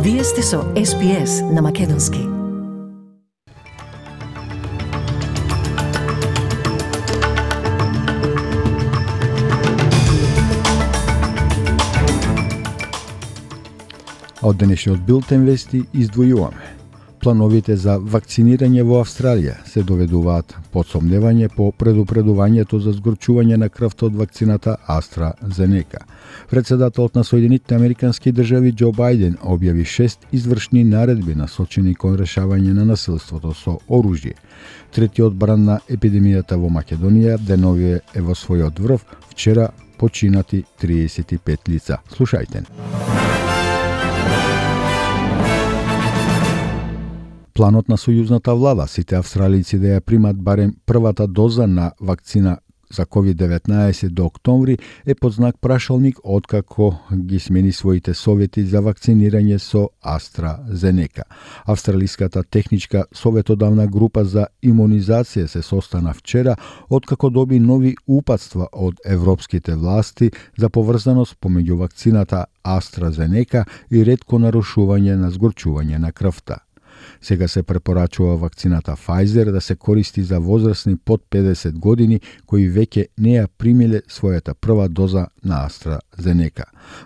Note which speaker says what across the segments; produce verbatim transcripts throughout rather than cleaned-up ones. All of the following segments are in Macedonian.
Speaker 1: Вие сте со Ес Би Ес на Македонски.
Speaker 2: Од денешниот билтен вести издвојуваме. Плановите за вакцинирање во Австралија се доведуваат под сомневање по предупредувањето за згорчување на крвта од вакцината AstraZeneca. Председателот на Соединетите Американски држави Џо Бајден објави шест извршни наредби насочени кон решавање на насилството со оружје. Третиот бран на епидемијата во Македонија деновие е во својот врв, вчера починати триесет и пет лица. Слушајте. Планот на сојузната влада сите австралици да ја примат барем првата доза на вакцина за ковид деветнаесет до октомври е под знак прашалник откако ги смени своите совети за вакцинирање со AstraZeneca. Австралиската техничка советодавна група за имунизација се состана вчера откако доби нови упатства од европските власти за поврзаност помеѓу вакцината AstraZeneca и ретко нарушување на згорчување на крвта. Сега се препорачува вакцината Pfizer да се користи за возрастни под педесет години кои веќе не ја примиле својата прва доза на AstraZeneca.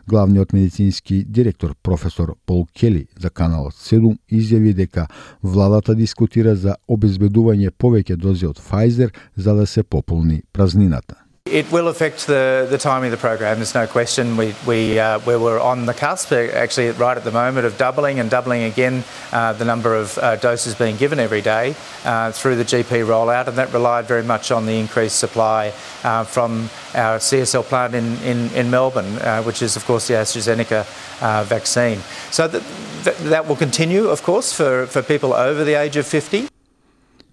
Speaker 2: Главниот медицински директор професор Пол Кели за каналот седум изјави дека владата дискутира за обезбедување повеќе дози од Pfizer за да се пополни празнината.
Speaker 3: It will affect the, the timing of the program, there's no question. We, we, uh, we were on the cusp, actually right at the moment, of doubling and doubling again uh, the number of uh, doses being given every day uh, through the G P rollout, and that relied very much on the increased supply uh, from our C S L plant in, in, in Melbourne, uh, which is, of course, the AstraZeneca uh, vaccine. So th th that will continue, of course, for, for people over the age of fifty.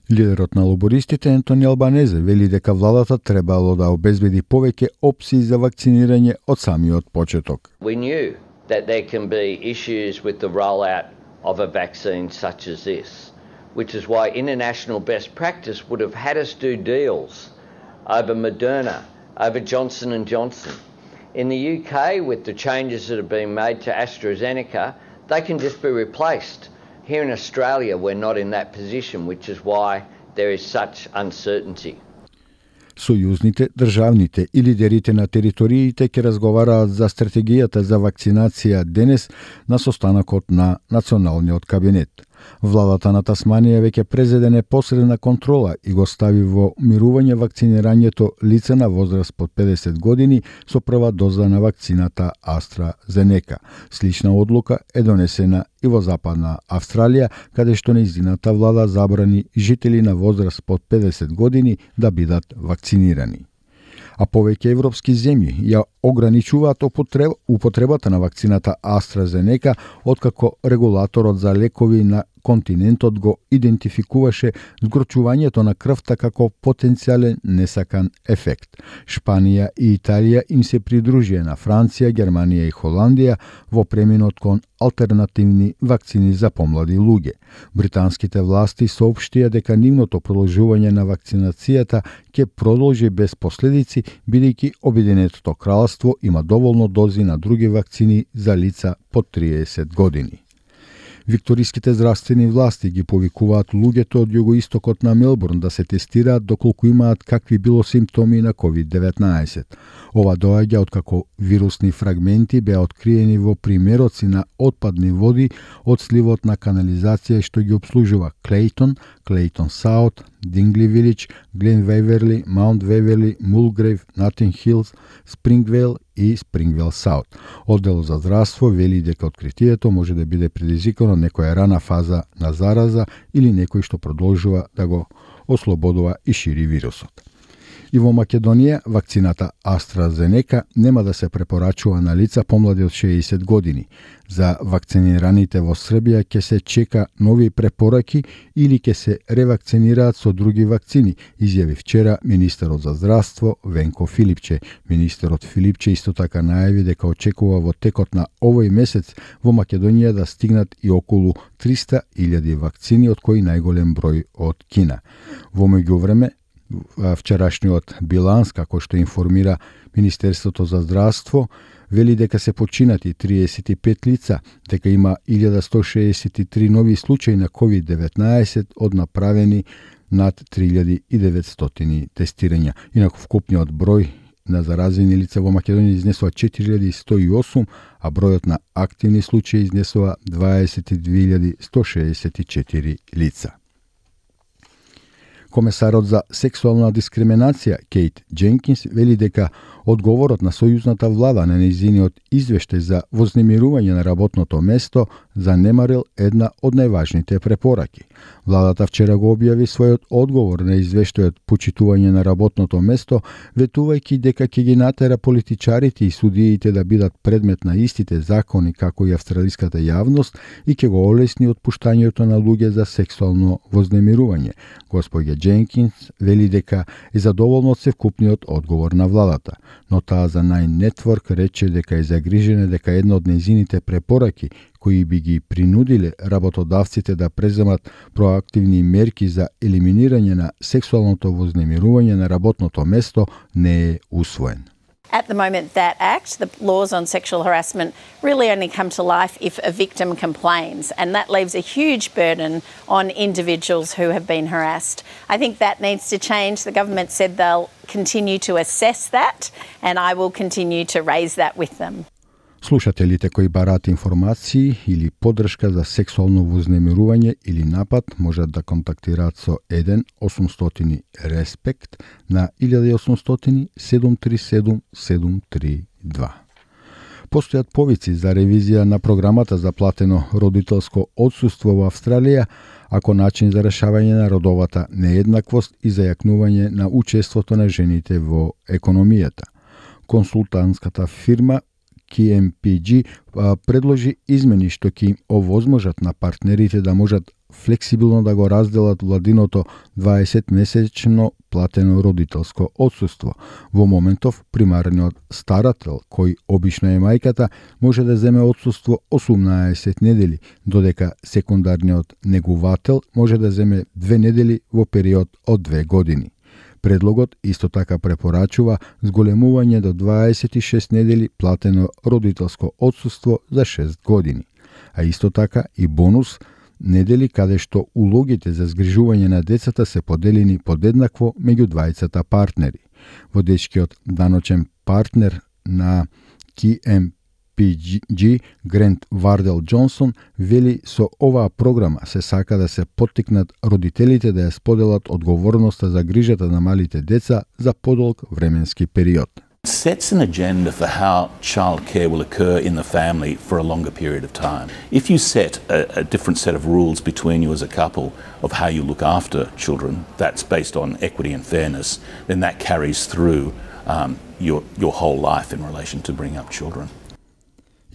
Speaker 2: Лидерот на лобористите Ентони Албанезе вели дека владата требало да обезбеди повеќе опции за вакцинирање од самиот почеток.
Speaker 4: We knew that there can be issues with the rollout of a vaccine such as this, which is why international best practice would have had us do deals over Moderna, over Johnson and Johnson. In the U K, with the changes that have been made to AstraZeneca, they can just be replaced. Here in Australia, we're not in that position, which is why there is such uncertainty.
Speaker 2: Сојузните, државните и лидерите на териториите ќе разговараат за стратегијата за вакцинација денес на состанокот на Националниот кабинет. Владата на Тасманија веќе презеде непосредна контрола и го стави во мирување вакцинирањето лица на возраст под педесет години со прва доза на вакцината AstraZeneca. Слична одлука е донесена и во Западна Австралија, каде што нејзината влада забрани жители на возраст под педесет години да бидат вакцинирани. А повеќе европски земји ја ограничуваат употребата на вакцината AstraZeneca откако регулаторот за лекови на континентот го идентификуваше згорчувањето на крвта како потенцијален несакан ефект. Шпанија и Италија им се придружија на Франција, Германија и Холандија во преминот кон алтернативни вакцини за помлади луѓе. Британските власти соопштија дека нивното продолжување на вакцинацијата ќе продолжи без последици, бидејќи Обединетото кралство има доволно дози на други вакцини за лица под триесет години. Викториските здравствени власти ги повикуваат луѓето од југоистокот на Мелбурн да се тестираат доколку имаат какви било симптоми на ковид деветнаесет. Ова доаѓа откако вирусни фрагменти беа откриени во примероци на отпадни води од сливот на канализација што ги обслужува Клейтон, Клейтон Саут, Дингли Вилидж, Глен Веверли, Маунт Веверли, Мулгрейв, Натинг Хилс, Спрингвейл и Спрингвейл Саут. Одделот за здравство вели дека откритието може да биде предизвикано некоја рана фаза на зараза или некој што продолжува да го ослободува и шири вирусот. И во Македонија вакцината AstraZeneca нема да се препорачува на лица помлади од шеесет години. За вакцинираните во Србија ќе се чека нови препораки или ќе се ревакцинираат со други вакцини, изјави вчера министерот за здравство Венко Филипче. Министерот Филипче исто така најави дека очекува во текот на овој месец во Македонија да стигнат и околу триста илјади вакцини, од кои најголем број од Кина. Во меѓувреме, вчерашниот биланс, како што информира Министерството за здравство, вели дека се починати триесет и пет лица, дека има илјада сто шеесет и три нови случаи на ковид деветнаесет од направени над три илјади и деветстотини тестирања. Инаку вкупниот број на заразени лица во Македонија изнесува четири илјади сто и осум, а бројот на активни случаи изнесува дваесет и две илјади сто шеесет и четири лица. Комесарот за сексуална дискриминација Кейт Дженкинс вели дека одговорот на сојузната влада на нејзиниот извештај за вознемирување на работното место занемарил една од најважните препораки. Владата вчера го објави својот одговор на извештајот почитување на работното место, ветувајќи дека ќе ги натера политичарите и судиите да бидат предмет на истите закони како и австралиската јавност и ќе го олесни отпуштањето на луѓе за сексуално вознемирување. Господја Дженкинс вели дека е задоволна од севкупниот одговор на владата, но таа за Nine Network рече дека е загрижена дека една од нејзините препораки кои би ги принудиле работодавците да преземат проактивни мерки за елиминирање на сексуалното вознемирување на работното место не е усвоен.
Speaker 5: At the moment, that act, the laws on sexual harassment, really only come to life if a victim complains, and that leaves a huge burden on individuals who have been harassed. I think that needs to change. The government said they'll continue to assess that, and I will continue to raise that with them.
Speaker 2: Слушателите кои бараат информации или поддршка за сексуално вознемирување или напад можат да контактираат со еден осумстотини респект на илјада и осумстотини седум три седум седум три два. Постојат повици за ревизија на програмата за платено родителско отсуство во Австралија, ако начин за решавање на родовата нееднаквост и зајакнување на учеството на жените во економијата. Консултантската фирма K M P G предложи измени што ќе им овозможат на партнерите да можат флексибилно да го разделат владиното дваесетмесечно платено родителско отсуство. Во моментов, примарниот старател, кој обично е мајката, може да земе отсуство осумнаесет недели, додека секундарниот негувател може да земе две недели во период од две години. Предлогот исто така препорачува зголемување до дваесет и шест недели платено родителско отсуство за шест години, а исто така и бонус недели каде што улогите за згрижување на децата се поделени подеднакво меѓу двајцата партнери. Водечкиот даночен партнер на K M P G Грент Вардел Джонсон вели со оваа програма се сака да се поттикнат родителите да ја споделат одговорноста за грижата на малите деца за подолг временски период.
Speaker 6: Sets an agenda for how childcare will occur in the family for a longer period of time. If you set a, a different set of rules between you as a couple of how you look after children, that's based on equity and fairness, then that carries through um, your, your whole life in relation to bringing up children.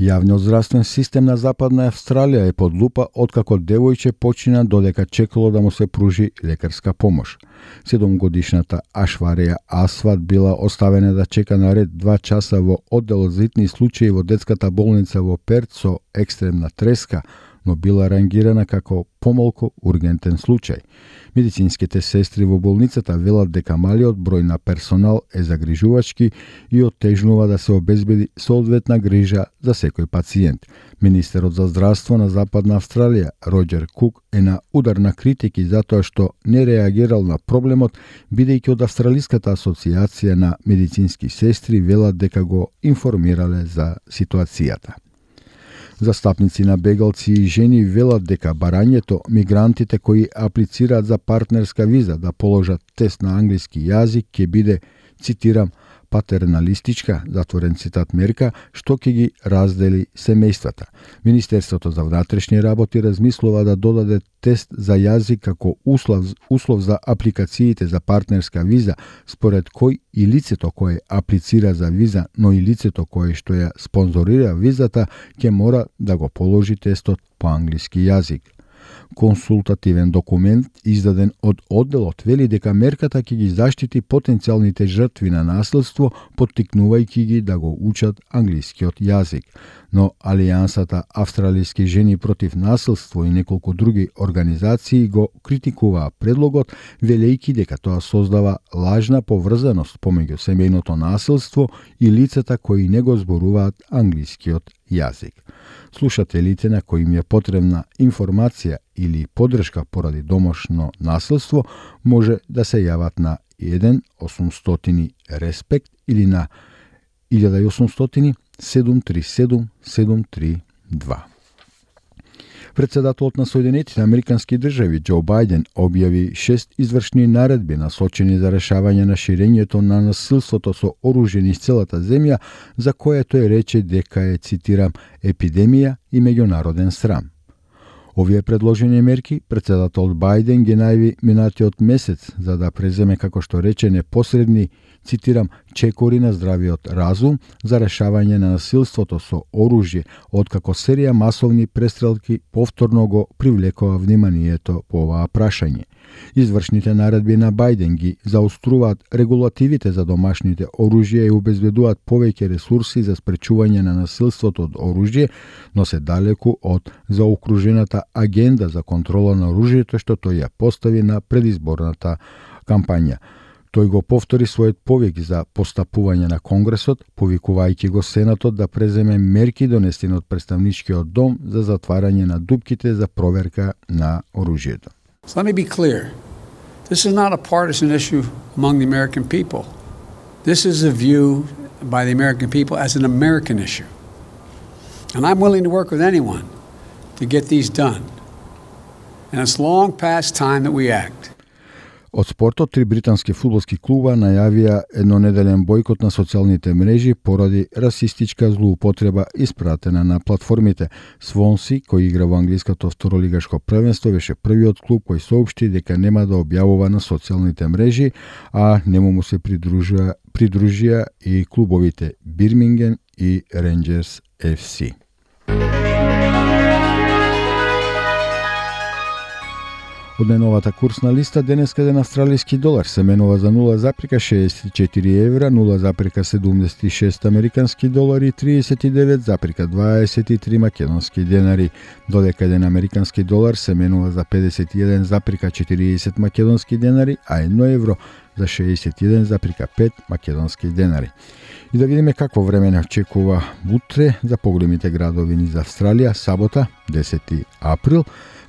Speaker 2: Јавниот здравствен систем на Западна Австралија е под лупа откако девојче почина додека чекало да му се пружи лекарска помош. Седумгодишната Ашвареја Асват била оставена да чека на ред два часа во одделот за итни случаи во детската болница во Перт со екстремна треска, но била рангирана како помалку ургентен случај. Медицинските сестри во болницата велат дека малиот број на персонал е загрижувачки и оттежнува да се обезбеди соодветна грижа за секој пациент. Министерот за здравство на Западна Австралија, Роџер Кук, е на удар на критики затоа што не реагирал на проблемот, бидејќи од Австралиската асоциација на медицински сестри велат дека го информирале за ситуацијата. Застапници на бегалци и жени велат дека барањето мигрантите кои аплицираат за партнерска виза да положат тест на англиски јазик ќе биде, цитирам, патерналистичка, затворен цитат, мерка, што ќе ги раздели семејствата. Министерството за внатрешни работи размислува да додаде тест за јазик како услов, услов за апликациите за партнерска виза, според кој и лицето кое аплицира за виза, но и лицето кое што ја спонзорира визата, ќе мора да го положи тестот по англиски јазик. Консултативен документ издаден од одделот вели дека мерката ќе ги заштити потенцијалните жртви на насилство, поттикнувајќи ги да го учат англискиот јазик. но Алијансата Австралијски жени против насилство и неколку други организации го критикуваа предлогот, велејќи дека тоа создава лажна поврзаност помеѓу семејното насилство и лицата кои не го зборуваат англискиот јазик. Слушателите на кои им е потребна информација или подршка поради домашно насилство може да се јават на еден осумстотини респект или на илјада и осумстотини седум три седум седум три два. Председателот на Соединетите Американски држави Џо Бајден објави шест извршни наредби насочени за решавање на ширењето на насилството со оружје низ целата земја, за кое тој рече дека е, цитирам, епидемија и меѓународен срам. Овие предложени мерки председателот Бајден ги најави минатиот месец за да преземе, како што рече, непосредни, цитирам, чекори на здравиот разум за решавање на насилството со оружје, откако серија масовни престрелки повторно го привлекува вниманието по оваа прашање. Извршните наредби на Бајден ги заоструваат регулативите за домашните оружја и обезбедуваат повеќе ресурси за спречување на насилството од оружје, но се далеку од заокружената агенда за контрола на оружјето што тој ја постави на предизборната кампања. Тој го повтори својот повик за постапување на Конгресот, повикувајќи го Сенатот да преземе мерки донесени од Представничкиот дом за затварање на дупките за проверка на оружјето.
Speaker 7: So let me be clear. This is not a partisan issue among the American people. This is a view by the American people as an American issue. And I'm willing to work with anyone to get these done. And it's long past time that we act.
Speaker 2: Од спортот, три британски фудбалски клуба најавија еднонеделен бојкот на социјалните мрежи поради расистичка злоупотреба испратена на платформите. Свонси, кој игра во англиското второлигашко првенство, беше првиот клуб кој соопшти дека нема да објавува на социјалните мрежи, а нему му се придружија, придружија и клубовите Бирмингем и Рейнџерс еф си. Од најновата курсна листа, денеска еден австралиски долар се менува за нула запирка шеесет и четири евра, нула запирка седумдесет и шест американски долари и триесет и девет запирка дваесет и три македонски денари, додека еден американски долар се менува за педесет и еден запирка четириесет македонски денари, а едно евро за шеесет и еден запирка пет македонски денари. И да видиме какво време не очекува утре за поголемите градови низ Австралија, сабота, десети април,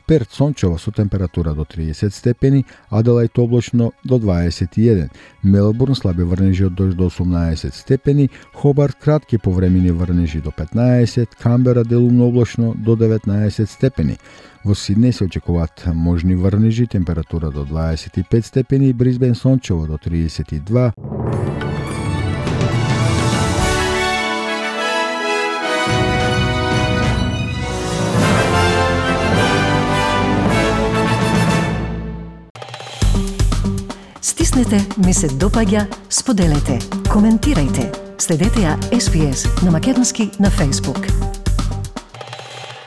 Speaker 2: Перт сончево со температура до триесет степени, Аделајд облачно до дваесет и еден, Мелбурн слаби врнежи од дожд до осумнаесет степени, Хобарт кратки повремени врнежи до петнаесет, Камбера делумно облачно до деветнаесет степени. Во Сиднеј се очекуваат можни врнежи, температура до дваесет и пет степени, Брисбен сончево до триесет и два.
Speaker 1: Стиснете, ми се допаѓа, споделете, коментирајте. Следете ја Ес Би Ес на македонски на Facebook.